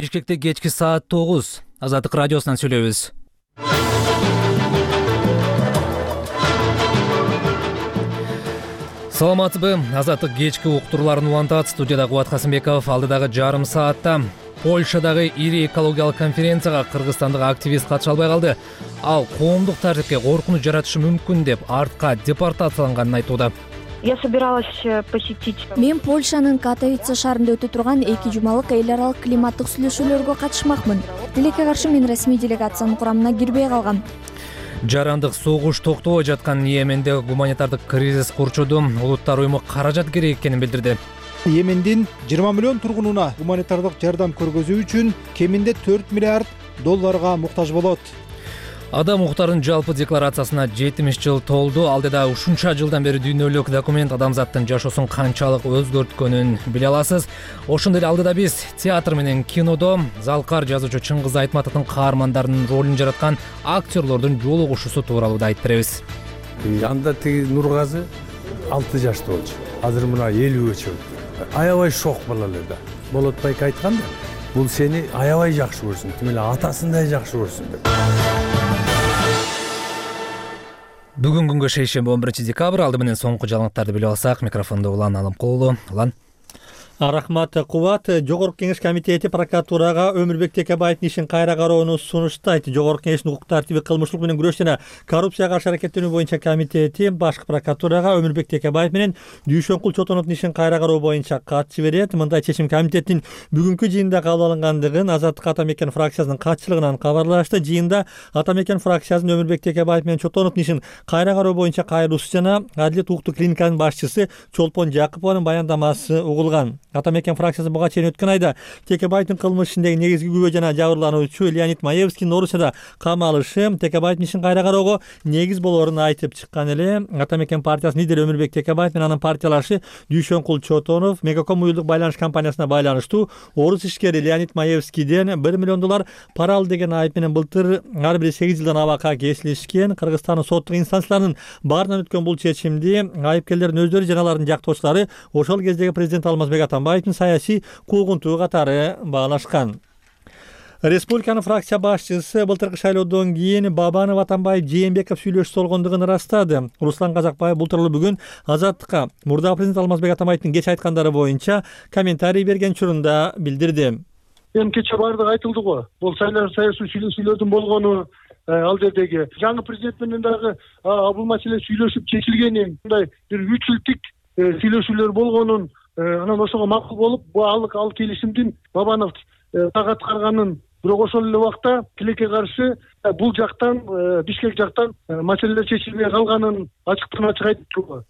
Бишкекте кечки саат 9. Азаттык радиосунан сүйлөйбүз. Саламатсызбы? Азаттык кечки уктурууларын улантат. Студияда Кубат Касымбеков. Алдыдагы жарым саатта Польшадагы ири экологиялык конференцияга кыргызстандык активист катыша албай калды. Ал коомдук тартипке коркунуч жаратышы мүмкүн деп артка депортацияланганын айтууда. Я собиралась посетить. Мен Польшанын Катовице шаарында өтө турган 2 жумалык эл аралык климаттык сүйлөшүүлөргө катышмакмын. Тилекке каршы мен расмий делегациянын курамына кирбей калгам. Жарандык согуш токтобой жаткан Йеменде гуманитардык кризис курчуду. Улуттар уюму каражат керек экенин билдирди. Йемендин 20 миллион тургунуна гуманитардык жардам көргөзүү үчүн кеминде 4 миллиард долларга муктаж болот. Адам укуктарынын жалпы декларациясына 70 жыл толду. Алдыда ушунча жылдан бери дүйнөлүк документ адамзаттын жашоосун канчалык өзгөрткөнүн биле аласыз. Ошондой эле алдыда биз театр менен кинодо залкар жазуучу Чыңгыз Айтматовдун каармандарынын ролун жараткан актерлордун жолугушуусу тууралуу да айтып беребиз. Анда тиги Нургазы 6 жашта болчу. Азыр мына 50 чыгып. Аябай шок балалар да. Болотбайк айтканда, бул сени аябай жакшы көрсүн, тим эле атасындай жакшы көрсүн деп. Бүгүн күнгө шейшемби 11 декабрь. Алды менен соңку жаңылыктарды билип алсак, микрофондо Улан Алымкулуу. Улан. Рахмат Кубат. Жогорку кеңеш комитети прокуратурага Өмүрбек Текебаевдин ишин кайра кароону сунуштайт. Жогорку кеңештин укук тартиби, кылмыштуулук менен күрөш жана коррупцияга каршы аракеттенүү боюнча комитети башкы прокуратурага Өмүрбек Текебаев менен Дүйшөнкул Чотоновдун ишин кайра кароо боюнча кат жиберет. Мындай чечим комитеттин бүгүнкү жыйында кабыл алынгандыгын Азаттык Ата Мекен фракциясынын катчылыгынан кабарлашты. Жыйында Ата Мекен фракциясынын Өмүрбек Текебаев менен Чотоновдун ишин кайра кароо боюнча кайруусу жана Адилет укуктук клиниканын башчысы Чолпон Жакыпованын баяндамасы угулган. Ата Мекен фракциясы буга чейин өткөн айда Текебаевдин кылмыш ишиндеги негизги күбө жана жабырлануучу Леонид Маевскийдин Орусияда кам алышы Текебаевдин ишин кайра кароого негиз болоорун айтып чыккан эле. Ата Мекен партиясынын лидери Өмүрбек Текебаев менен анын партиялашы Дүйшөнкул Чотонов Мегаком уюлдук байланыш компаниясына байланыштуу орус ишкери Леонид Маевскийден $1 миллион пара алды деген айып менен былтыр ар бири 8 жылдан абакка кесилишкен. Кыргызстандын соттук инстанцияларынын баарынан өткөн бул чечимди айыпкерлердин өздөрү жана алардын жактоочулары ошол кездеги президент Алмазбек Атамбаевдин саясий куугунтугу катары баалашкан. Республиканын фракция башчысы былтыркы шайлоодон кийин Бабанов, Атамбаев, Жээнбеков сүйлөшүп болгондугун ырастады. Руслан Казакбаев бул тууралуу бүгүн Азаттыкка мурдагы президент Алмазбек Атамбаевдин кеч айткандары боюнча комментарий берген учурунда билдирди. Эми кече баардыгы айтылды го. Бул саясий сүйлөшүүлөрдүн болгону, ал жердеги жаңы президент менен дагы бул маселе сүйлөшүп чечилгени, мындай бир 3 жылдык сүйлөшүүлөр болгонун, анан ошого макул болуп, ал келишимдин Бабанов так аткарганын, бирок ошол эле убакта тилекке каршы бул жактан, Бишкек жактан маселелер чечилбей калганын ачыктан ачык айтты.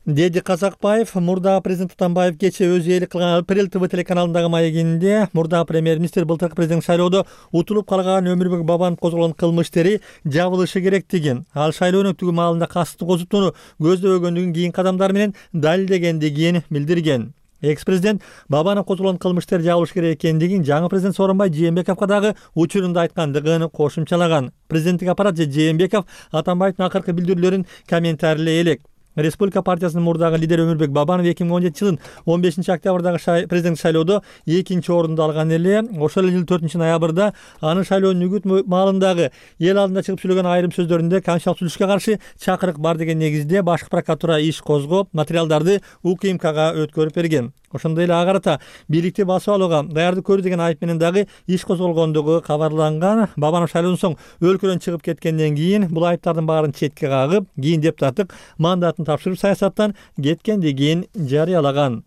Деди Казакбаев мурдагы президент Атамбаев кече өзү ээлик кылган Апрель ТВ телеканалындагы маегинде мурдагы премьер-министр былтыркы президент шайлоодо утулуп калган Өмүрбек Бабанов козголгон кылмыш иштери жабылышы керектигин, ал шайлоо өтүүгө маалында касыптуу козутууну көздөбөгөндүгүн кийинки кадамдар менен далилдегендигин билдирген. Экс-президент Бабанов козголгон кылмыш иштери жабылышы керек экендигин жаңы президент Сооронбай Жээнбековго дагы учурунда айткандыгын кошумчалаган. Президенттик аппарат же Жээнбеков Атамбаевдин акыркы билдирүүлөрүн комментарийлей элек. Республика партиясынын мурдагы лидери Өмүрбек Бабанов 2017 жылдын 15 октябрдагы президент шайлоодо 2-чи орунду алган эле. Ошол эле жылдын 4 ноябрда анын шайлоонун үгүт маалындагы эл алдында чыгып сүйлөгөн айрым сөздөрүндө конституциялык түзүлүшкө каршы чакырык бар деген негизде башкы прокуратура иш козгоп, материалдарды УКМКга өткөрүп берген. Ошондой эле ага карата бийликти басып алууга даярдык көрүү деген айып менен дагы иш козголгондугу кабарланган. Бабанов шайлоодон соң өлкөдөн чыгып кеткенден кийин бул айыптардын баарын четке кагып, кийин депутаттык мандатын тапшырып саясаттан кеткендигин жарыялаган.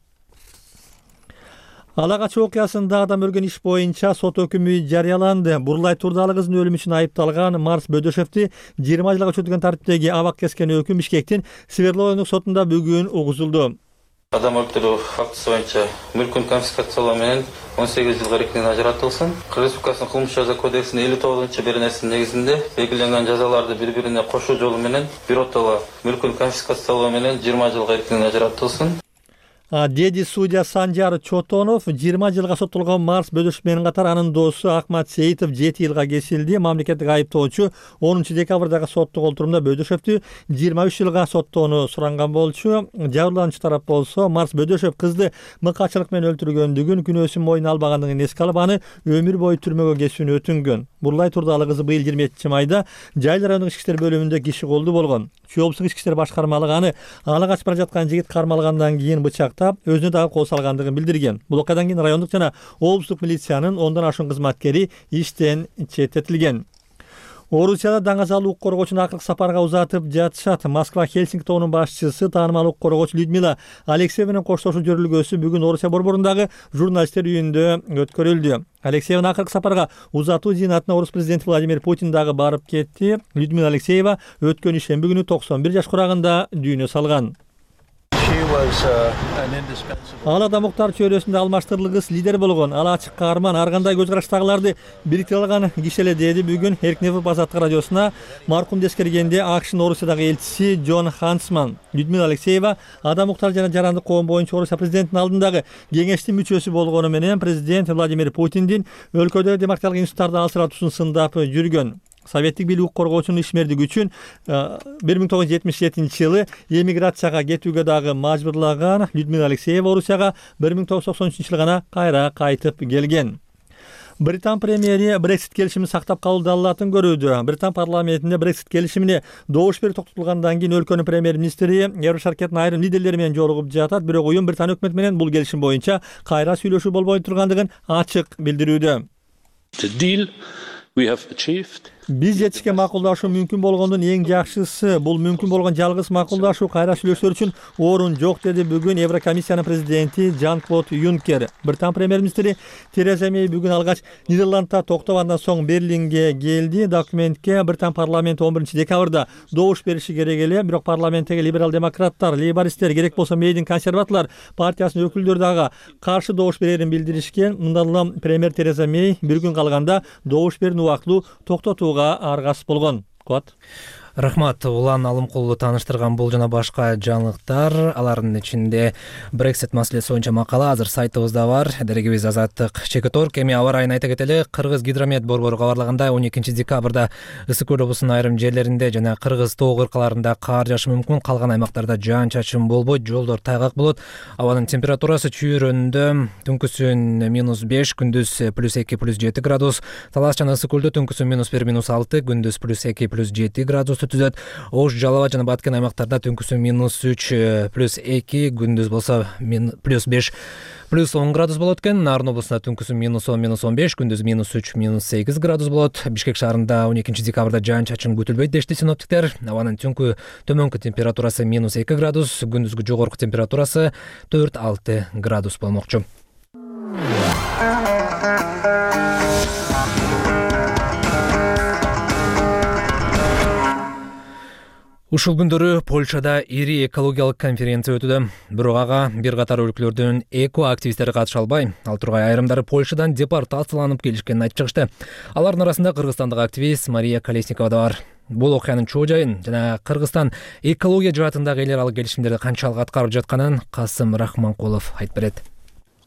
Ала Качы окуясында адам өлгөн иш боюнча сот өкүмү жарыяланды. Бурлай Турдалы кызынын өлүмү үчүн айыпталган Марс Бөдөшевди 20 жылга күчөтүлгөн тартиптеги абак кескен өкүм Бишкектин Свердловиндик сотунда бүгүн угузулду. Адам өлтүрүү фактысы боюнча мүлкүн конфискациялоо менен 18 жылга эркинен ажыратылсын. Кыргыз Республикасынын кылмыш жаза кодексинин 59-беренесинин негизинде белгиленген жазаларды бири-бирине кошуу жолу менен биротоло мүлкүн конфискациялоо менен 20 жылга эркинен ажыратылсын. деди судья Санжар Чотонов 20 жылга соттолгон Марс Бөдөшев менен катар анын досу Акмат Сейитов 7 жылга кесилди. Мамлекеттик айыптоочу 10 декабрдагы соттук олтурумда Бөдөшевдү 23 жылга соттоону суранган болчу. Жабырлануучу тарап болсо Марс Бөдөшев кызды мыкачылык менен өлтүргөндүгүн, күнөөсүн мойнуна албагандыгын эске алып, аны өмүр бою түрмөгө кесүүнү өтүнгөн. Бурлай турдагы кызы быйыл 27 майда Жайыл райондук ички иштер бөлүмүндө киши колду болгон. Чоопсук ички иштер башкармалыгы аны ала качып бара жаткан жигит кармалгандан кийин бычактап, өзүнө дагы кол салгандыгын билдирген. Бул окуядан кийин райондук жана облустук милициянын 10дан ашуун кызматкери иштен четтетилген. Орусияда даңазал укук коргоочуну акыркы сапарга узатып жатышат. Москва Хельсинки тобунун башчысы, таанымал укук коргоочу Людмила Алексеева менен коштошуу жөрүлгөсү бүгүн Орусия борборундагы журналисттер үйүндө өткөрүлдү. Алексееванын акыркы сапарга узатуу зыйнатына орус президенти Владимир Путин дагы барып кетти. Людмила Алексеева өткөн ишемби күнү 91 жаш курагында дүйнө салган. Ал Адамуктар чөйрөсүндө алмаштырылгыс лидер болгон, ал ачык каарман, ар кандай көз караштагыларды бириктире алган киши эле, деди бүгүн Эркнефов Азаттык радиосуна маркумду эскергенде АКШнын Орусиядагы элчиси Джон Хансман. Людмила Алексеева Адамуктар жана жарандык коом боюнча Орусия президентинин алдындагы кеңештин мүчөсү болгону менен президент Владимир Путиндин өлкөдө демократиялык институттарды алсыратуусун сындап жүргөн. Советтик бийлик коргоочунун ишмердиги үчүн 1977 жылы эмиграцияга кетүүгө дагы мажбурлаган Людмила Алексеева Орусияга 1993 жылы гана кайра кайтып келген. Британ премьери Брексит келишимин сактап калуу далилатын көрүүдө. Британ парламентинде Брексит келишимине добуш берүү токтотулгандан кийин өлкөнүн премьер-министри Евро шаркеттин айрым лидерлери менен жолугуп жатат. Бирок уюм Британ өкмөтү менен бул келишим боюнча кайра сүйлөшүү болбой тургандыгын ачык билдирүүдө. Биз жетишкен макулдашуу мүмкүн болгондун эң жакшысы. Бул мүмкүн болгон жалгыз макулдашуу, кайра сүйлөшүүлөр үчүн орун жок, деди бүгүн Еврокомиссиянын президенти Жан-Клод Юнкер. Британ премьер-министри Тереза Мей бүгүн алгач Нидерландта токтоп, андан соң Берлинге келди. Документке Британ парламенти 11 декабрда добуш бериши керек эле, бирок парламенттеги либерал-демократтар, лейбористтер, керек болсо Мейдин консерваторлор партиясынын өкүлдөрү дагы каршы добуш берерин билдиришкен. Мындан улам премьер Тереза Мей бир күн калганда добуш берүүнү убактылуу токтотууга аргасыз болгон. Рахмат, Улан Алымкулду тааныштырган бул жана башка жаңылыктар, алардын ичинде Brexit маселеси боюнча макала азыр сайтыбызда бар. Дерегибиз Азаттык ЧК.org. Эми аба ырайын айта кетели. Кыргыз гидромет борбору кабарлагандай 12 декабрда ысык көл облусунун айрым жерлеринде жана Кыргыз тоо кыркаларында кар жаашы мүмкүн. Калган аймактарда жаан-чачын болбойт, жолдор тайгак болот. Абанын температурасы чүйрөндө түнкүсүн -5, күндүз +2, +7 градус. Талас жана ысык көлдө түнкүсүн -1, -6, күндүз +2, +7 градус түзөт. Ош, Жалал жана Баткен аймактарда түнкүсүн -3, +2, күндүз болсо +5, +10 градус болот экен. Нарын облусунда түнкүсүн -10, -15, күндүз -3, -8 градус болот. Бишкек шаарында 12 декабрда жаан-чачын күтүлбөйт дешти синоптиктер. Абанын түнкү төмөнкү температурасы -2 градус, күндүзгү жогорку температурасы 4-6 градус болмокчу. Ушул күндөрү Польшада ири экологиялык конференция өтүүдө. Бирок ага бир катар өлкөлөрдүн эко-активисттери катыша албай, ал тургай айрымдары Польшадан депортацияланып келишкенин айтып чыгышты. Алардын арасында кыргызстандык активист Мария Колесникова да бар. Бул окуянын чоо жайын жана Кыргызстан экология жаатындагы эл аралык келишимдерди канчалык аткарып жатканын Касым Рахманкулов айтып берет.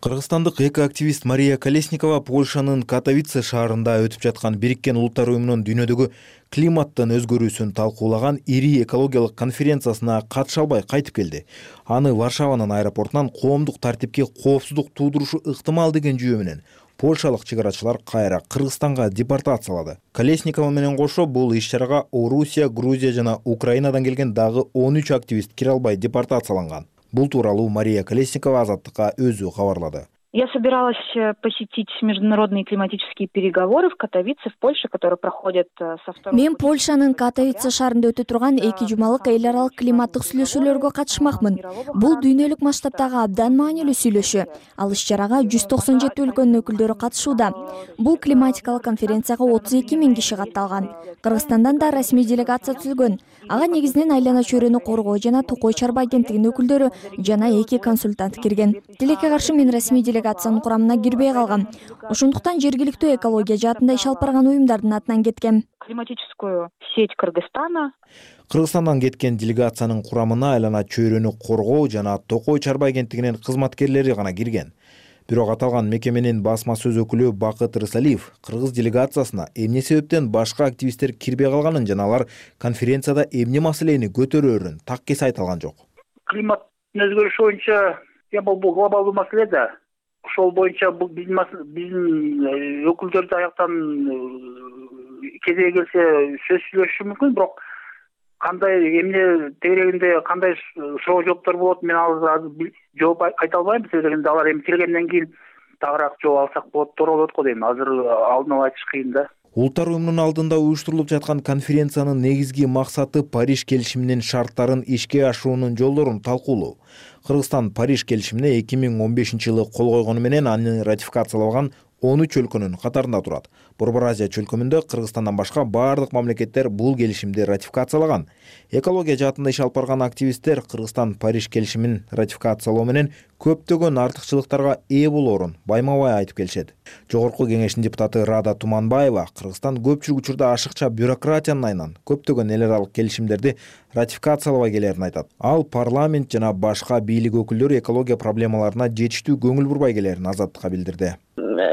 Кыргызстандык эко-активист Мария Колесникова Польшанын Катовице шаарында өтүп жаткан Бириккен Улуттар уюмунун дүйнөдөгү климаттын өзгөрүүсүн талкуулаган ири экологиялык конференциясына катыша албай кайтып келди. Аны Варшаванын аэропортунан коомдук тартипке коопсуздук туудурушу ыктымал деген жүйө менен польшалык чек арачылар кайра Кыргызстанга депортациялады. Колесникова менен кошо бул иш-чарага Орусия, Грузия жана Украинадан келген дагы 13 активист кире албай депортацияланган. Бул тууралуу Мария Колесникова Азаттыкка өзү кабарлады. Я собиралась посетить международные климатические переговоры в Катовице, в Польше, которые проходят со 2. Мен Польшанын Катовице шаарында өтө турган 2 жумалык эл аралык климаттык сүйлөшүүлөргө катышмакмын. Бул дүйнөлүк масштабтагы абдан маанилүү сүйлөшүү. Ал иш-чарага 197 өлкөнүн өкүлдөрү катышууда. Бул климатикалык конференцияга 32 000 киши катталган. Кыргызстандан да расмий делегация түзүлгөн. Ага негизинен айлана чөйрөнү коргоо жана Токой Чарба агенттигинин өкүлдөрү жана 2 консультант кирген. Тилекке каршы мен расмий делегация делегациянын курамына кирбей калган. Ошондуктан жергиликтүү экология жаатында иш алып барган уюмдардын атынан кеткен. Климатическую сеть Кыргызстана. Кыргызстандан кеткен делегациянын курамына айлана чөйрөнү коргоо жана Токой чарба агенттигинин кызматкерлери гана кирген. Бирок аталган мекеменин басма сөз өкүлү Бакыт Рысалиев кыргыз делегациясына эмне себептен башка активисттер кирбей калганын жана алар конференцияда эмне маселени көтөрөөрүн так эс айта алган жок. Климаттын өзгөрүшү боюнча бул глобалдуу маселе да. Ошол боюнча бул биздин өкүлдөр аяктан кезеги келсе сөз сүйлөшүшү мүмкүн, бирок кандай эмне тегерегинде кандай суроо жооптор болот, мен азыр жооп айта албайм. Себеби алар эми келгенден кийин тагыраак жооп алсак болот, туура болот го дейм. Азыр алдын ала айтыш кыйын да. Улуттар уюмунун алдында уюштурулуп жаткан конференциянын негизги максаты Париж келишиминин шарттарын ишке ашыруунун жолдорун талкуулоо. Кыргызстан Париж келишимине 2015-жылы кол койгону менен аны ратификациялабаган 13 өлкөнүн катарында турат. Борбор Азия чөлкөмүндө Кыргызстандан башка бардык мамлекеттер бул келишимди ратификациялаган. Экология жаатында иш алып барган активисттер Кыргызстан Париж келишимин ратификациялоо менен көптөгөн артыкчылыктарга ээ болоорун байма-бай айтып келишет. Жогорку кеңештин депутаты Рада Туманбаева Кыргызстан көпчүлүк учурда ашыкча бюрократиянын айынан көптөгөн эл аралык келишимдерди ратификациялабай келерин айтат. Ал парламент жана башка бийлик өкүлдөрү экология проблемаларына жетиштүү көңүл бурбай келерин Азаттыкка билдирди.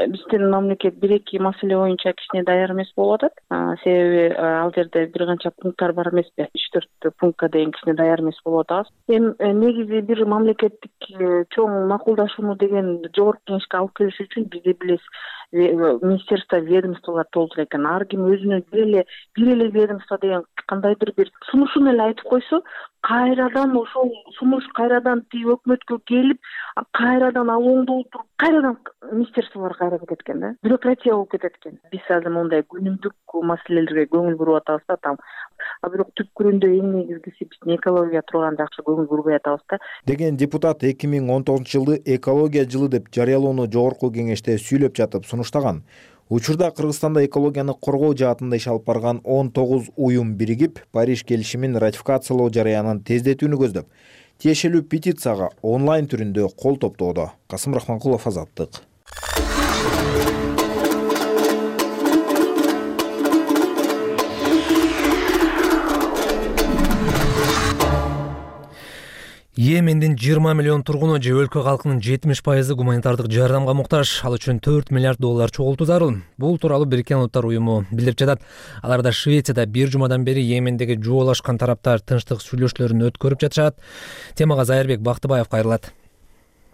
Биздин мамлекет бир-эки маселе боюнча кичине даяр эмес болуп атат. Себеби ал жерде бир канча пункттар бар эмеспи? 3-4 пунктка дейин кичине даяр эмес болуп атабыз. Эми негизи бир мамлекеттик чоң макулдашууну деген жогорку кеңешке алып келиш үчүн бизде билесиз, министерство, ведомстволор толтура экен. Ар ким өзүнүн бир эле ведомство деген кандайдыр бир сунушун эле айтып койсо, кайрадан ошол сунуш кайрадан өкмөткө келип, кайрадан ал оңдо отуруп, кайрадан министерстволор кайра кетет экен да. Бюрократия болуп кетет экен. Биз азыр мондай күнүмдүк маселелерге көңүл буруп атабыз да там. Бирок түпкүрүндө эң негизгиси биздин экология турган жакшы көңүл бурбай атабыз да. Деген депутат 2019-жылды экология жылы деп жарыялоону жогорку кеңеште сүйлөп жатып сунуштаган. Учурда Кыргызстанда экологияны коргоо жаатында иш алып барган 19 уюм биригип, Париж келишимин ратификациялоо жарыянын тездетүүнү көздөп, тиешелүү петицияга онлайн түрүндө кол топтоодо. Касым Рахманкулов, Азаттык. Йемендин 20 миллион тургуну же өлкө калкынын 70% гуманитардык жардамга муктаж. Ал үчүн $4 миллиард чогултуу зарыл. Бул тууралуу Бириккен Улуттар уюму билдирип жатат. Аларда Швецияда бир жумадан бери Йемендеги жуолашкан тараптар тынчтык сүйлөшүүлөрүн өткөрүп жатышат. Темага Зайырбек Бактыбаев кайрылат.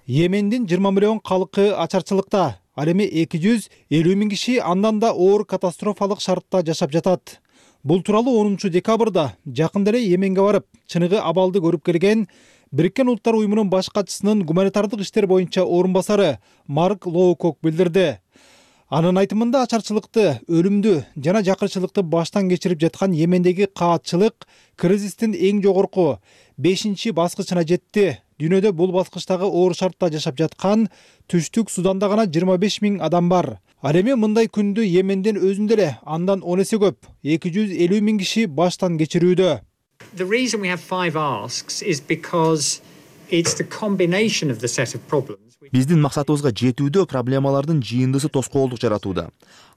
Йемендин 20 миллион калкы ачарчылыкта. Ал эми 250 миң киши андан да оор катастрофалык шартта жашап жатат. Бул тууралуу 10 декабрда жакында эле Йеменге барып, чыныгы абалды көрүп келген Бириккен Улуттар уюмунун баш катчысынын гуманитардык иштер боюнча орун басары Марк Лоукок билдирди. Анын айтымында ачарчылыкты, өлүмдү жана жакырчылыкты баштан кечирип жаткан Йемендеги каатчылык кризистин эң жогорку 5-чи баскычына жетти. Дүйнөдө бул баскычтагы оор шартта жашап жаткан Түштүк Суданда гана 25 миң адам бар. Ал эми мындай күндү Йемендин өзүндө эле андан 10 эсе көп 250 миң киши баштан кечирүүдө. The reason we have 5 asks is because it's the combination of the set of problems. Биздин максатыбызга жетүүдө проблемалардын жыйындысы тоскоолдук жаратууда.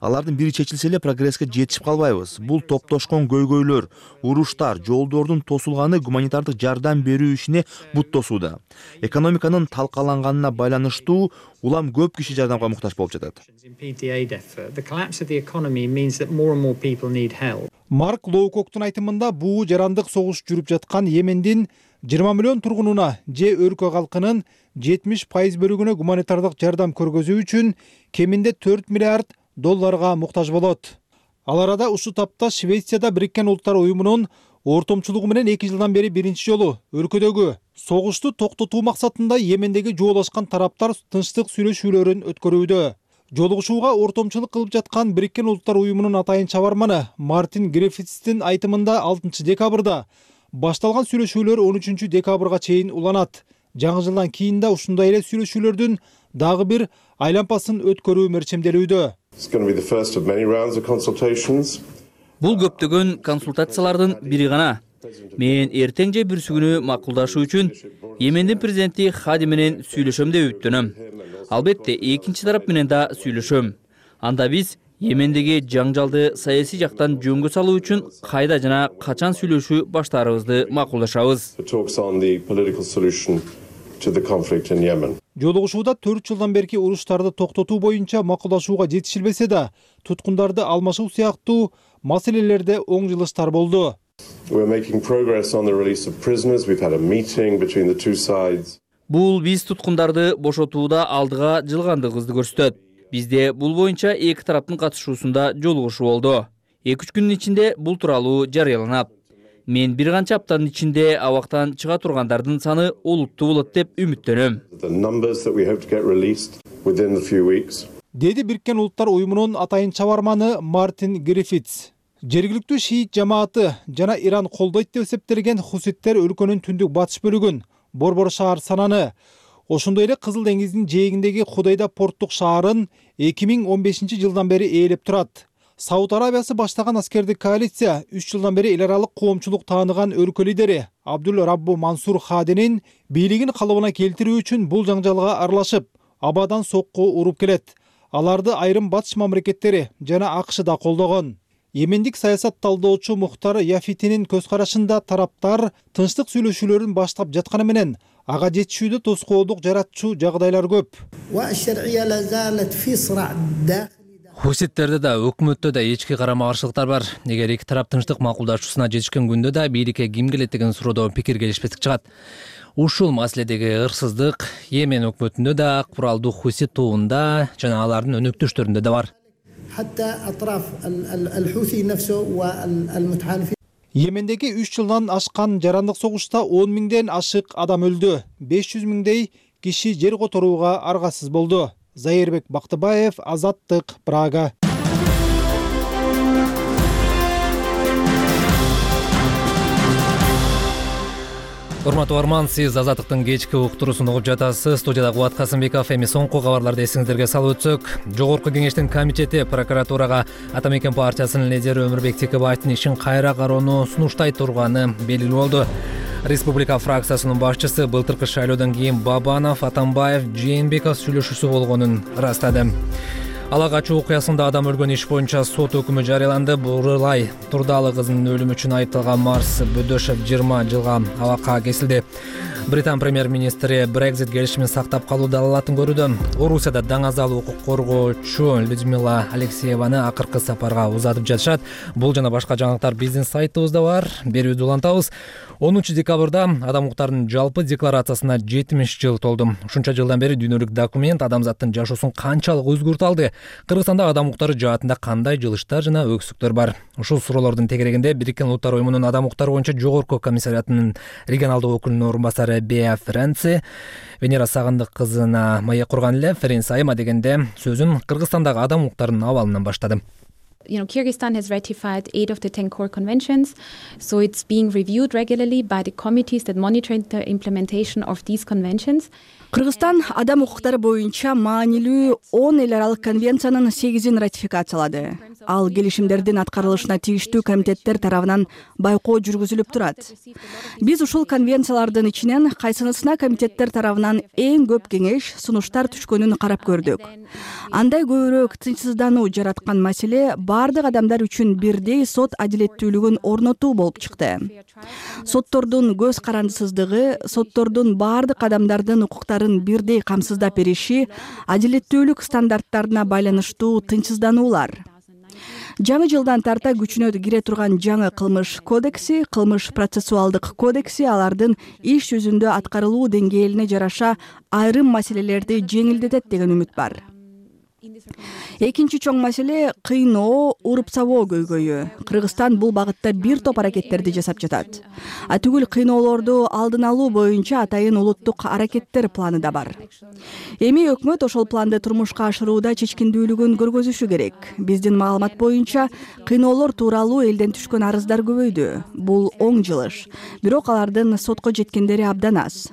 Алардын бири чечилсе эле прогресске жетишип калбайбыз. Бул топтошкон көйгөйлөр, уруштар, жолдордун тосулганы гуманитардык жардам берүү ишине бут тосууда. Экономиканын талкаланганына байланыштуу улам көп киши жардамга муктаж болуп жатат. Марк Лоукоктун айтымында буу жарандык согуш жүрүп жаткан Йемендин 20 миллион тургунуна же өлкө калкынын 70% бөлүгүнө гуманитардык жардам көргөзүү үчүн кеминде $4 миллиард муктаж болот. Ал арада ушул тапта Швецияда Бириккен Улуттар уюмунун ортомчулугу менен 2 жылдан бери биринчи жолу өлкөдөгү согушту токтотуу максатында Йемендеги жуолашкан тараптар тынчтык сүйлөшүүлөрүн өткөрүүдө. Жолугушууга ортомчулук кылып жаткан Бириккен Улуттар уюмунун атайын чабарманы Мартин Гриффитстин айтымында 6 декабрда башталган сүйлөшүүлөр 13 декабрга чейин уланат. Жаңы жылдан кийин да ушундай эле сүйлөшүүлөрдүн дагы бир айлампасын өткөрүү мерчемделүүдө. Бул көптөгөн консультациялардын бири гана. Мен эртең же бүрсү күнү макулдашуу үчүн Йемендин президенти Хади менен сүйлөшөм деп үмүттөнөм. Албетте экинчи тарап менен да сүйлөшөм. Анда биз Йемендеги жаңжалды саясий жактан жөнгө салуу үчүн кайда жана качан сүйлөшүү баштаарыбызды макулдашабыз. Жолугушууда 4 жылдан берки уруштарды токтотуу боюнча макулдашууга жетишилбесе да, туткундарды алмашуу сыяктуу маселелерде оң жылыштар болду. Бул биз туткундарды бошотууда алдыга жылгандыгыбызды көрсөтөт. Бизде бул боюнча эки тараптын катышуусунда жолугушуу болду. 2-3 күндүн ичинде бул тууралуу жарыяланат. Мен бир канча аптанын ичинде абактан чыга тургандардын саны олуттуу болот деп үмүттөнөм. Деди Бириккен Улуттар уюмунун атайын чабарманы Мартин Гриффитс. Жергиликтүү шиит жамааты жана Иран колдойт деп эсептелген хуситтер өлкөнүн түндүк батыш бөлүгүн, Борбор шаар сананы, ошондой эле Кызыл деңиздин жээгиндеги Худайда порттук шаарын 2015 жылдан бери ээлеп турат. Сауд Арабиясы баштаган аскердик коалиция 3 жылдан бери эл аралык коомчулук тааныган өлкө лидери Абдул Раббу Мансур Хадинин бийлигин калыбына келтирүү үчүн бул жаңжалга аралашып, абадан сокку уруп келет. Аларды айрым батыш мамлекеттери жана АКШ да колдогон. Йемендик саясат талдоочу Мухтар Яфитинин көз карашында тараптар тынчтык сүйлөшүүлөрүн баштап жатканы менен ага жетишүүдө тоскоолдук жаратчу жагдайлар көп. Хуситтерде да өкмөттө да ички карама каршылыктар бар. Эгер эки тарап тынчтык макулдашуусуна жетишкен күндө да бийликке ким келет деген суроодо пикир келишпестик чыгат. Ушул маселедеги ырсыздык Йемен өкмөтүндө да, куралдуу хусит тобунда жана алардын өнөктөштөрүндө да бар. Йемендеги 3 жылдан ашкан жарандык согушта 10 миңден ашык адам өлдү. 500 миңдей киши жер которууга аргасыз болду. Зайырбек Бактыбаев, Азаттык, Прага. Урматтуу арман, сиз Азаттыктын кечки уктуруусун угуп жатасыз. Студияда Кубат Касымбеков. Эми соңку кабарларды эсиңиздерге салып өтсөк, Жогорку кеңештин комитети прокуратурага Ата Мекен партиясынын лидери Өмүрбек Текебаевдин ишин кайра кароону сунуштай турганы белгилүү болду. Республика фракциясынын башчысы былтыркы шайлоодон кийин Бабанов, Атамбаев, Жээнбеков сүйлөшүүсү болгонун ырастады. Ала качуу окуясында адам өлгөн иш боюнча сот өкүмү жарыяланды. Бурулай Турдалы кызынын өлүмү үчүн айыпталган Марс Бөдөшев 20 жылга абакка кесилди. Британ премьер-министри Brexit келишимин сактап калуу далалатын көрүүдө. Орусияда даңазал укук коргоочу Людмила Алексееваны акыркы сапарга узатып жатышат. Бул жана башка жаңылыктар биздин сайтыбызда бар. Берүүнү улантабыз. 10 декабрда адам укуктарынын жалпы декларациясына 70 жыл толду. Ушунча жылдан бери дүйнөлүк документ адамзаттын жашоосун канчалык өзгөртүп алды? Кыргызстанда адам укуктары жаатында кандай жылыштар жана өксүктөр бар? Ушул суроолордун тегерегинде Бириккен Улуттар уюмунун адам укуктары боюнча жогорку комиссариатынын регионалдык өкүлүнүн орун басары Беа Френци Венера Сагындык кызына маек курган эле. Френци айма дегенде сөзүн Кыргызстандагы адам укуктарынын абалынан баштады. Kyrgyzstan has ratified 8 of the 10 core conventions, so it's being reviewed regularly by the committees that monitor the implementation of these conventions. Кыргызстан адам укуктары боюнча маанилүү 10 эл аралык конвенциянын 8-ин ратификациялады. Ал келишимдердин аткарылышына тийиштүү комитеттер тарабынан байкоо жүргүзүлүп турат. Биз ушул конвенциялардын ичинен кайсынысына комитеттер тарабынан эң көп кеңеш, сунуштар түшкөнүн карап көрдүк. Андай көбүрөөк тынчсыздануу жараткан маселе бардык адамдар үчүн бирдей сот адилеттүүлүгүн орнотуу болуп чыкты. Соттордун көз карандысыздыгы, соттордун бардык адамдардын укуктарын бирдей камсыздап бериши, адилеттүүлүк стандарттарына байланыштуу тынчсыздануулар. Жаңы жылдан тарта күчүнө кире турган жаңы кылмыш кодекси, кылмыш процессуалдык кодекси алардын иш жүзүндө аткарылуу деңгээлине жараша айрым маселелерди жеңилдетет деген үмүт бар. Экинчи чоң маселе кыйноо, уруп-сабоо көйгөйү. Кыргызстан бул багытта бир топ аракеттерди жасап жатат. Атүгүл кыйноолорду алдын алуу боюнча атайын улуттук аракеттер планы да бар. Эми өкмөт ошол планды турмушка ашырууда чечкиндүүлүгүн көргөзүшү керек. Биздин маалымат боюнча кыйноолор тууралуу элден түшкөн арыздар көбөйдү. Бул оң жылыш. Бирок алардын сотко жеткендери абдан аз.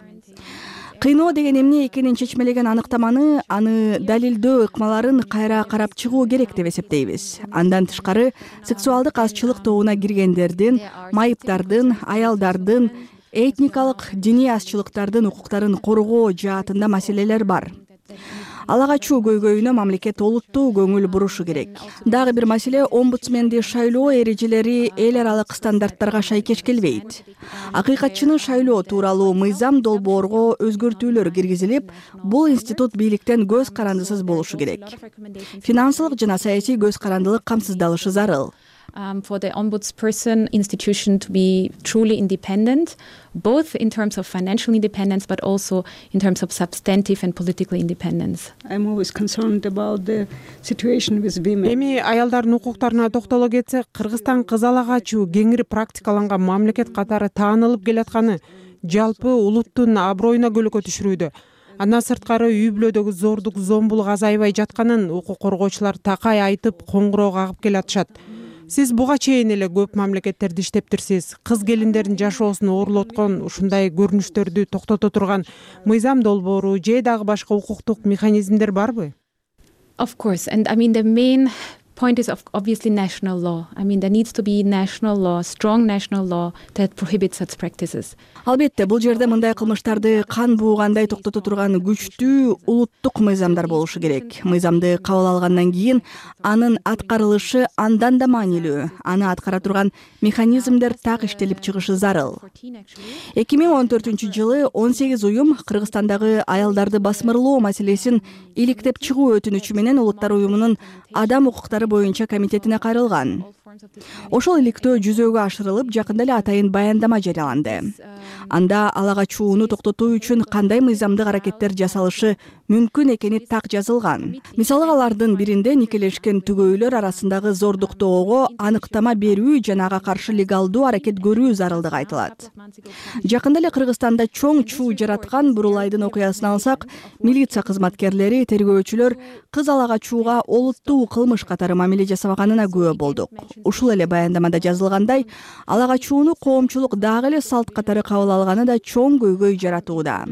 Кыйноо деген эмне экенин чечмелеген аныктаманы, аны далилдөө ыкмаларын кайра карап чыгуу керек деп эсептейбиз. Андан тышкары, сексуалдык азчылык тобуна киргендердин, майыптардын, аялдардын, этникалык, диний азчылыктардын укуктарын коргоо жаатында маселелер бар. ала качуу көйгөйүнө мамлекет олуттуу көңүл бурушу керек. Дагы бир маселе, омбудсменди шайлоо эрежелери эл аралык стандарттарга шайкеш келбейт. Акыйкатчыны шайлоо тууралуу мыйзам долбоорго өзгөртүүлөр киргизилип, бул институт бийликтен көз карандысыз болушу керек. Финансылык жана саясий көз карандылык камсыздалышы зарыл. For the ombudsperson institution to be truly independent, both in terms of financial independence, but also in terms of substantive and political independence. I'm always concerned about the situation with women. Эми аялдардын укуктарына токтоло кетсек, Кыргызстан кыз ала качуу кеңири практикаланган мамлекет катары таанылып келатканы жалпы улуттун аброюна көлөкө түшүрүүдө. Андан сырткары үй бүлөдөгү зордук, зомбулук азайбай жатканын укук коргоочулар такай айтып, коңгуроо кагып келатышат. Сиз буга чейин эле көп мамлекеттерде иштептирсиз. Кыз келиндердин жашоосун оорлоткон ушундай көрүнүштөрдү токтото турган мыйзам долбоору же дагы башка укуктук механизмдер барбы? Of course, and I mean the main point is obviously national law. I mean there needs to be national law, strong national law that prohibits such practices. Албетте, бул жерде мындай кылмыштарды кан буугандай токтото турган күчтүү улуттук мыйзамдар болушу керек. Мыйзамды кабыл алгандан кийин анын аткарылышы андан да маанилүү. Аны аткара турган механизмдер так иштелип чыгышы зарыл. 2014-жылы 18 уюм Кыргызстандагы аялдарды басмырлоо маселесин иликтеп чыгуу өтүнүчү менен Улуттар уюмунун адам укуктары боюнча комитетине кайрылган. Ошол иликтөө жүзөгө ашырылып, жакында эле атайын баяндама жарыяланды. Анда ала качууну токтотуу үчүн кандай мыйзамдык аракеттер жасалышы мүмкүн экени так жазылган. Мисалы, алардын биринде никелешкен түгөйлөр арасындагы зордуктоого аныктама берүү жана ага каршы легалдуу аракет көрүү зарылдыгы айтылат. Жакында эле Кыргызстанда чоң чуу жараткан Бурулайдын окуясын алсак, милиция кызматкерлери, тергөөчүлөр кыз ала качууга олуттуу кылмыш катары мамиле жасабаганына күбө болдук. Ушул эле баяндамада жазылгандай, ала качууну коомчулук дагы эле салт катары кабыл алганы да чоң көйгөй жаратууда.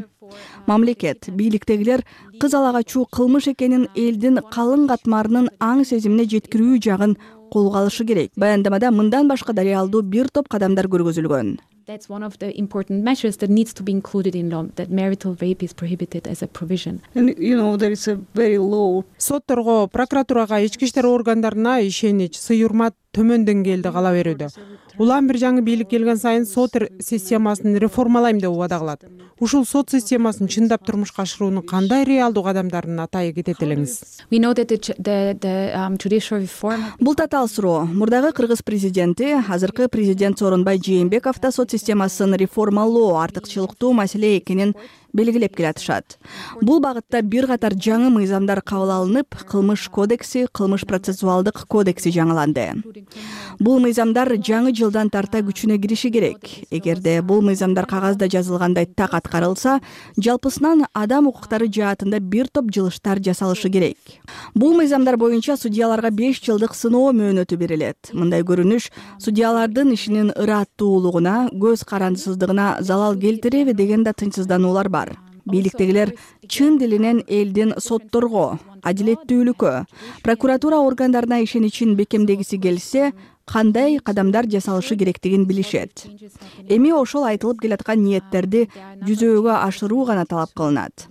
Мамлекет, бийликтегилер кыз ала качуу кылмыш экенин элдин калың катмарынын аң сезимине жеткирүү жагын колго алышы керек. Баяндамада мындан башка дарыялдуу бир топ кадамдар көргөзүлгөн. That's one of the important measures that needs to be included in law, that marital rape is prohibited as a provision. And there is a very low. Сотторго, прокуратурага, ички иштер органдарына ишенич, сый-урмат төмөн деңгээлде кала берүүдө. Улам бир жаңы бийлик келген сайын сот системасын реформалайм деп убада кылат. Ушул сот системасын чындап турмушка ашыруунун кандай реалдуу кадамдарын атай кетет элеңиз? We know that the judicial reform. Бул татаал суроо. Мурдагы Кыргыз президенти, азыркы президент Сооронбай Жээнбеков да сот системасын реформалоо артыкчылыктуу маселе экенин белгилеп келатышат. Бул багытта бир катар жаңы мыйзамдар кабыл алынып, кылмыш кодекси, кылмыш процессуалдык кодекси жаңыланды. Бул мыйзамдар жаңы жылдан тарта күчүнө кириши керек. Эгерде бул мыйзамдар кагазда жазылгандай так аткарылса, жалпысынан адам укуктары жаатында бир топ жылыштар жасалышы керек. Бул мыйзамдар боюнча судьяларга 5 жылдык сыноо мөөнөтү берилет. Мындай көрүнүш судьялардын ишинин ыраттуулугуна, көз карандысыздыгына залал келтиреби деген да тынчсыздануулар бар. Бийликтегилер чын дилинен элдин сотторго, адилеттүүлүккө, прокуратура органдарына ишеничин бекемдегиси келсе, кандай кадамдар жасалышы керектигин билишет. Эми ошол айтылып келаткан ниеттерди жүзөгө ашыруу гана талап кылынат.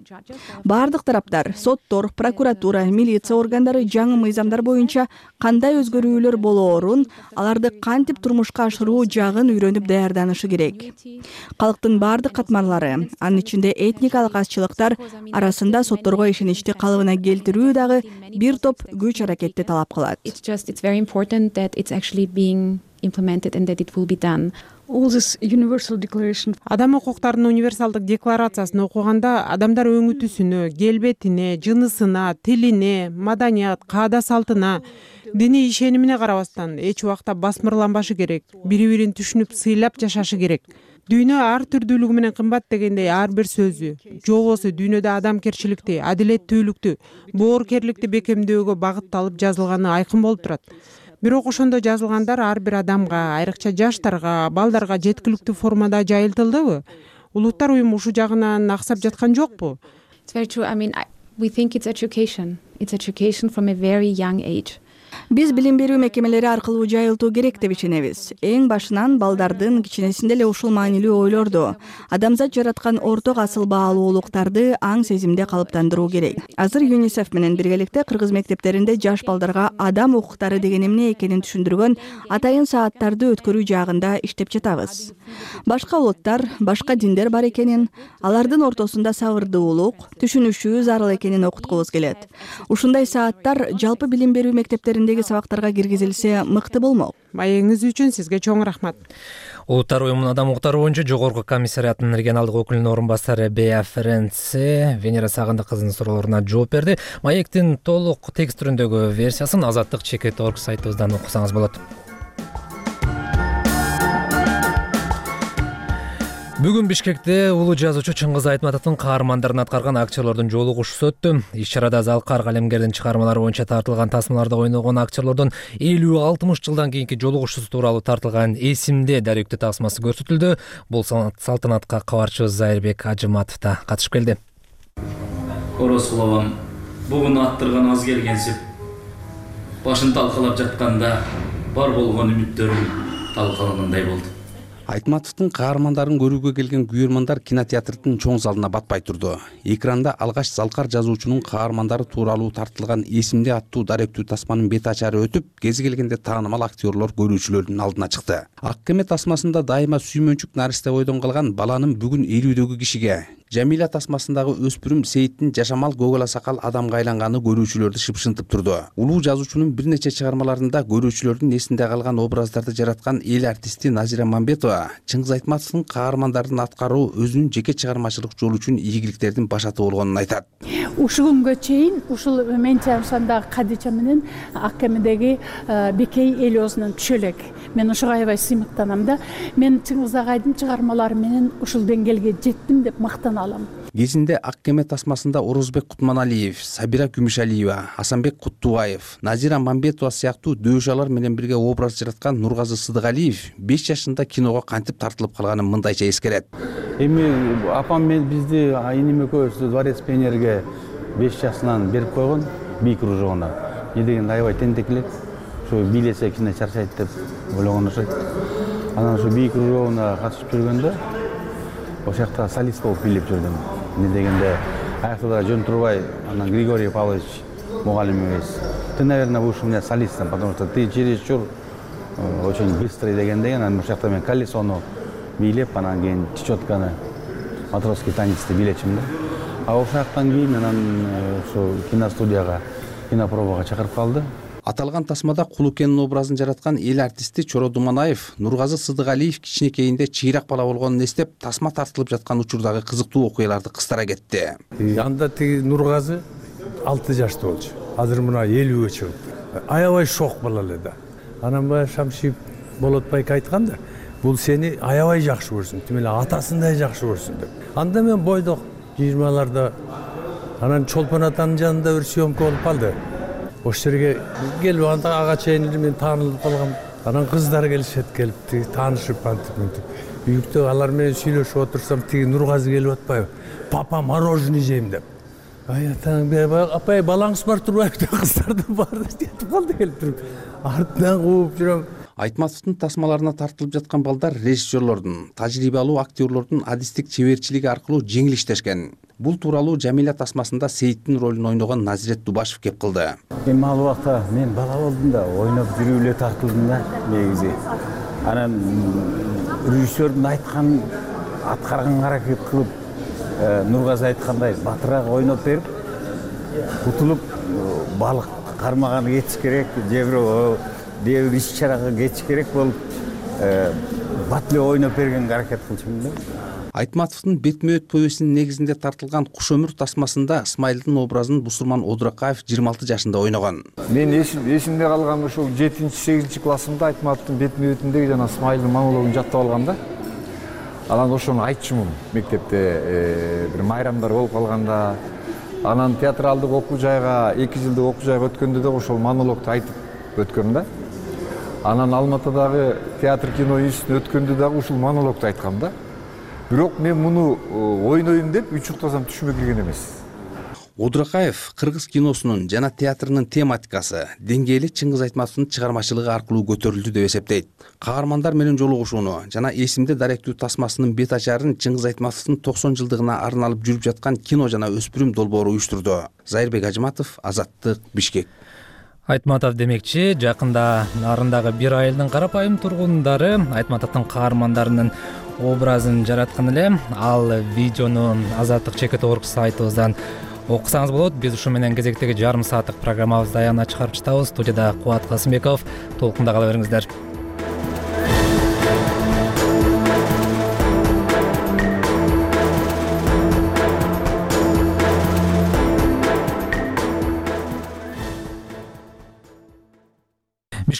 Бардык тараптар, соттор, прокуратура, милиция органдары жаңы мыйзамдар боюнча кандай өзгөрүүлөр болоорун, аларды кантип турмушка ашыруу жагын үйрөнүп даярданышы керек. Калктын бардык катмарлары, анын ичинде этникалык азчылыктар арасында сотторго ишеничти калыбына келтирүү дагы бир топ күч аракетти талап кылат. It's very important that it's actually being implemented and that it will be done. Адам укуктарынын универсалдык декларациясын окуганда адамдар өңүтүсүнө, келбетине, жынысына, тилине, маданият, каада салтына, диний ишенимине карабастан эч убакта басмырланбашы керек. Бири-бирин түшүнүп, сыйлап жашашы керек. Дүйнө ар түрдүүлүгү менен кымбат дегендей ар бир сөзү, жобосу дүйнөдө адамкерчиликти, адилеттүүлүктү, боорукерликти бекемдөөгө багытталып жазылганы айкын болуп турат. Бирок ошондо жазылгандар ар бир адамга, айрыкча жаштарга, балдарга жеткиликтүү формада жайылтылдыбы? Улуттар уюму ушул жагынан аксап жаткан жокпу? It's very true. I mean, we think it's education. It's education from a very young age. Биз билим берүү мекемелери аркылуу жайылтуу керек деп ишенебиз. Эң башынан балдардын кичинесинде эле ушул маанилүү ойлорду, адамзат жараткан орток асыл баалуулуктарды аң сезимде калыптандыруу керек. Азыр ЮНИСЕФ менен биргеликте кыргыз мектептеринде жаш балдарга адам укуктары деген эмне экенин түшүндүргөн атайын сааттарды өткөрүү жагында иштеп жатабыз. Башка улуттар, башка диндер бар экенин, алардын ортосунда сабырдуулук, түшүнүшүү зарыл экенин окуткубуз келет. Ушундай сааттар жалпы билим берүү мектептериндеги сабактарга киргизилсе мыкты болмок. Маегиңиз үчүн сизге чоң рахмат. Улуттар уюмунун адам укуктары боюнча жогорку комиссариятынын регионалдык өкүлүнүн орун басары Бея Ференце Венера Сагындык кызынын суроолоруна жооп берди. Маектин толук текст түрүндөгү версиясын azatlyk.org сайтыбыздан окусаңыз болот. Бүгүн Бишкекте улуу жазуучу Чыңгыз Айтматовдун каармандарын аткарган актерлордун жолугушуусу өттү. Иш-чарада Залкар калемгердин чыгармалары боюнча тартылган тасмаларда ойногон актерлордун 50-60 жылдан кийинки жолугушуусу тууралуу тартылган эсимде даректүү тасмасы көрсөтүлдү. Бул салтанатка кабарчыбыз Зайырбек Ажыматов да катышып келди. Оросул абам бүгүн аттырган аз келгенсип, башын талкалап жатканда бар болгон үмүттөрүм талкалангандай болду. Айтматовдун каармандарын көрүүгө келген күйөрмандар кинотеатрдын чоң залына батпай турду. Экранда алгач Залкар жазуучунун каармандары тууралуу тартылган эсимде аттуу даректүү тасманын бет ачары өтүп, кези келгенде таанымал актерлор көрүүчүлөрдүн алдына чыкты. Ак кеме тасмасында дайыма сүймөнчүк наристе бойдон калган баланын бүгүн 50-дөгү кишиге, Жамиля тасмасындагы өспүрүм Сейиттин жашамал көгала сакал адамга айланганы көрүүчүлөрдү шыпшынтып турду. Улуу жазуучунун бир нече чыгармаларында көрүүчүлөрдүн эсинде калган образдарды жараткан эл артисти Назира Мамбетова Чыңгыз Айтматовдун каармандарын аткаруу өзүнүн жеке чыгармачылык жолу үчүн ийгиликтердин башаты болгонун айтат. Ушул күнгө чейин ушул мен чамшандагы Кадича менен Ак кемедеги Бекей Элиосунан түшө элек. Мен ушуга аябай сыймыктанам да. Мен Чыңгыз агайдын чыгармалары менен ушул деңгээлге жеттим деп мактана алам. Кезинде Ак кеме тасмасында Орозбек Кутманалиев, Сабира Күмүшалиева, Асанбек Куттубаев, Назира Мамбетова сыяктуу дөөшалар менен бирге образ жараткан Нургазы Сыдыгалиев 5 жашында киного кантип тартылып калганын мындайча эскерет. Эми апам мен бизди иним экөөбүздү Дворец пионерге 5 жашынан берип койгон, би кружогуна. Не деген аябай тентек элек. Ошо бийлесе кичине чарчайт деп ойлогон окшойт. Анан ошо би кружогуна катышып жүргөндө ошол жакта солист болуп бийлеп жүрдүм. Не дегенде аяктада жөн турбай, анан Григорий Павлович мугалимибиз: "Ты, наверное, будешь у меня солистом, потому что ты чересчур очень быстрый" дегенде, анан ошол жакта мен колесону бийлеп, анан кийин чечетканы, матросский танецти бийлечим да. А ошол жактан кийин анан ошо киностудияга, кинопробага чакырып калды. Аталган тасмада Кулукенин образын жараткан эл артисти Чоро Думанаев Нургазы Сыдыгалиев кичинекейинде чыйрак бала болгонун эстеп, тасма тартылып жаткан учурдагы кызыктуу окуяларды кыстара кетти. Анда тиги Нургазы 6 жашта болчу. Азыр мына 50-гө чыгып. Аябай шок бала эле да. Анан баягы Шамшиев Болотбайга айткан да, бул сени аябай жакшы көрсүн, тим эле атасындай жакшы көрсүн деп. Анда мен бойдок 20-ларда анан Чолпон атанын жанында бир съемка болуп калды. Ошол жерге келип анда ага чейин мен таанылып калгам. Анан кыздар келишет, келип таанышып антип мынтип. Үйүктө алар менен сүйлөшүп отурсам, тиги Нургазы келип атпайбы? "Папа, мороженое жейм" деп. Атаң апай балаңыз бар турбайбы деп кыздарды барды жетип калды келип туруп. Артынан кууп жүрөм. Айтматовдун тасмаларына тартылып жаткан балдар режиссерлордун, тажрыйбалуу актерлордун адистик чеберчилиги аркылуу жеңил иштешкен. Бул тууралуу Жамиля тасмасында Сейиттин ролун ойногон Назирет Дубашев кеп кылды. Эми ал убакта мен бала болдум да, ойноп жүрүп эле тартылдым да негизи. Анан режиссердун айтканын аткарганга аракет кылып, Нургазы айткандай батыраак ойноп берип, утулуп балык кармаганы кетиш керек, же бирөө дебир иш-чарага кетиш керек болуп, бат эле ойноп бергенге аракет кылчумун да. Айтматовдун бетме-бет повестинин негизинде тартылган Куш өмүр тасмасында Исмайылдын образын Бусурман Одуракаев 26 жашында ойногон. Мен эсимде калган ушул 7-8 классымда Айтматовдун бетме-бетиндеги жана Исмайылдын монологун жаттап алгам да. Анан ошону айтчумун мектепте бир майрамдар болуп калганда. Анан театралдык окуу жайга, 2 жылдык окуу жайга өткөндө да ошол монологду айтып өткөм да. Анан Алматыдагы театр кино институтуна өткөндө дагы ушул монологду айткам да. Бирок мен муну ойнойм деп үч уктасам түшүмө кирген эмес. Одуракаев кыргыз киносунун жана театрынын тематикасы деңгээли Чыңгыз Айтматовдун чыгармачылыгы аркылуу көтөрүлдү деп эсептейт. Каармандар менен жолугушууну жана эсимде даректүү тасмасынын бет ачарын Чыңгыз Айтматовдун 90 жылдыгына арналып жүрүп жаткан кино жана өспүрүм долбоору уюштурду. Зайырбек Ажыматов, Азаттык, Бишкек. Айтматов демекчи, жакында нарындагы бир айылдын карапайым тургундары Айтматовдун каармандарынын образын жараткан эле. Ал видеону Азаттык Чекит орг сайтыбыздан окусаңыз болот. Биз ушу менен кезектеги жарым сааттык программабызды аягына чыгарып жатабыз. Студияда Кубат Касымбеков. Толкунда кала бериңиздер.